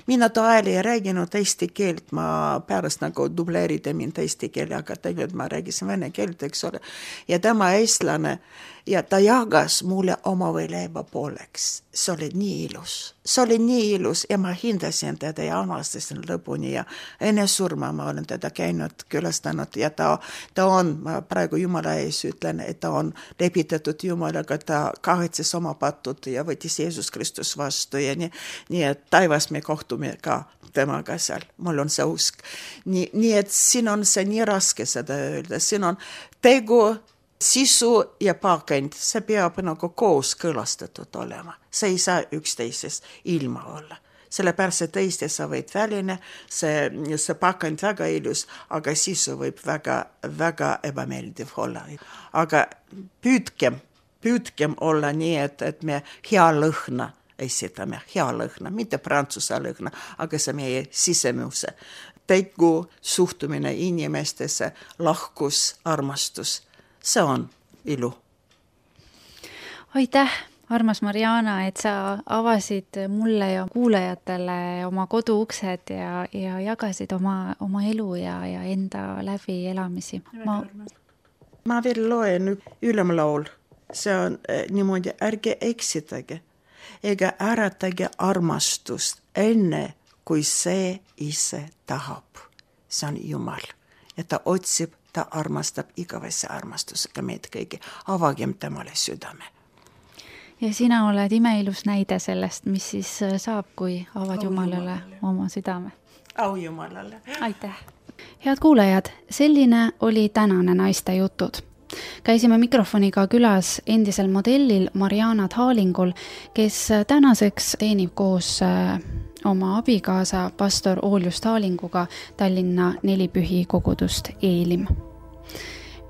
Mina toel ei rääginud eesti keelt, ma pärast nagu dubleerida mind eesti keele, aga tegelikult ma räägisin vene keelt, eks ole. Ja tema eestlane ja ta jagas mulle oma võileiba pooleks. See oli nii ilus. See oli nii ilus ja ma hindasin teda ja armastasin lõpuni ja enne surma ma olen teda käinud, külastanud ja ta, ta on, ma praegu Jumala ees ütlen, et ta on lepitatud Jumalaga, ta kahetses oma patud ja võttis Jeesus Kristus vastu ja nii, nii et taivas me kohtume ka temaga seal, mul on see usk. Nii, nii et siin on see nii raske seda öelda, siin on tegu, sisu ja pakend, see peab nagu koos kõlastatud olema. See ei saa üksteisest ilma olla. Sellepärast see teiste sa võid väline, see, see pakend väga ilus, aga sisu võib väga, väga ebameeldiv olla. Aga püüdkem, püüdkem olla nii, et, et me hea lõhna esitame, hea lõhna, mitte prantsuse lõhna, aga see meie sisemuse. Tegu, suhtumine inimestesse, lahkus, armastus. See on ilu. Aitäh, armas Mariana, et sa avasid mulle ja kuulajatele oma koduuksed ja, ja jagasid oma, oma elu ja, ja enda läbi elamisi. Ma, ma veel loen ülemlaul. See on eh, niimoodi, ärge eksitage ega äratage armastust enne, kui see ise tahab. See on Jumal. Ja ta otsib, ta armastab igavese armastusega meid kõigi. Avagem temale südame. Ja sina oled imeilus näide sellest, mis siis saab, kui avad Au Jumalale, Jumalale oma südame. Au Jumalale. Aitäh. Head kuulajad, selline oli tänane naiste jutud. Käisime mikrofoniga külas endisel modellil Mariana Thalingul, kes tänaseks teenib koos oma abikaasa pastor Ooljus Thalinguga Tallinna Nelipühi kogudust Eelim.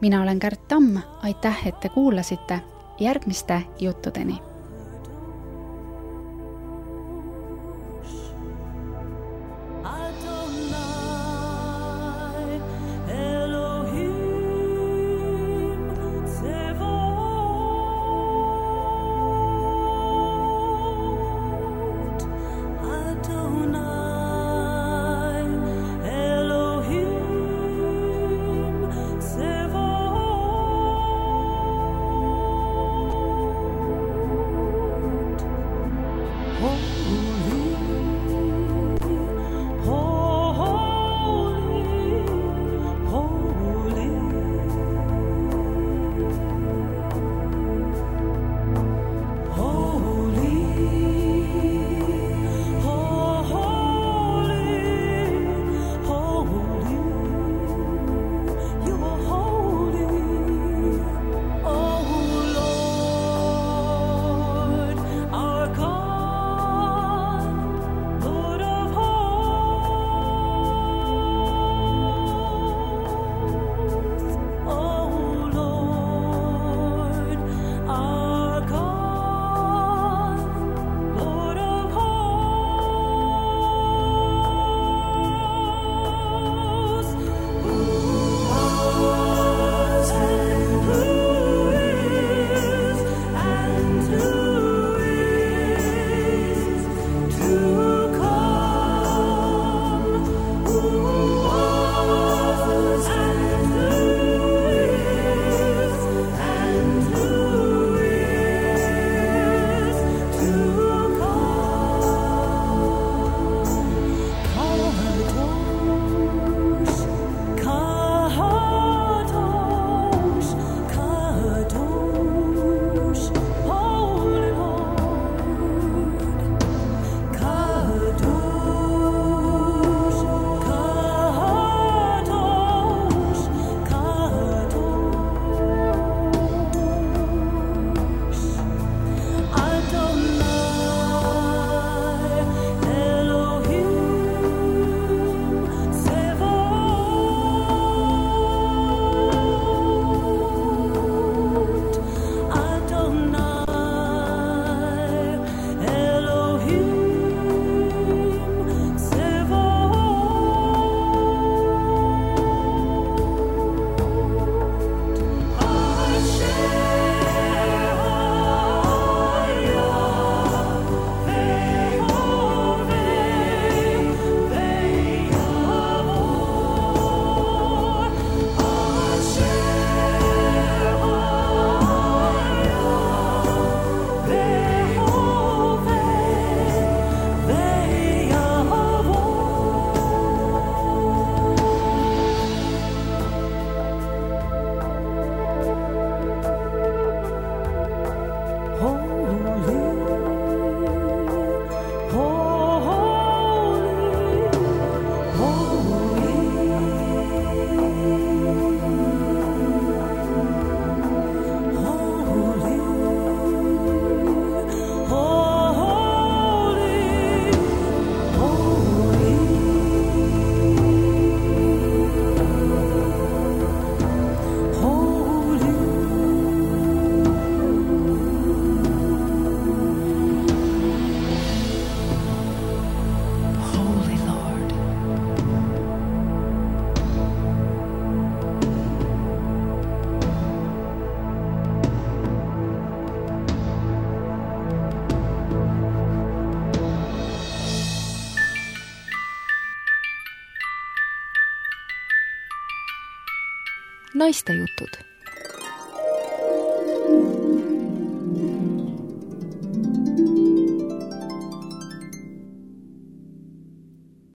Mina olen Kärt Tamm, aitäh, et te kuulasite. Järgmiste juttudeni. Naistejutud.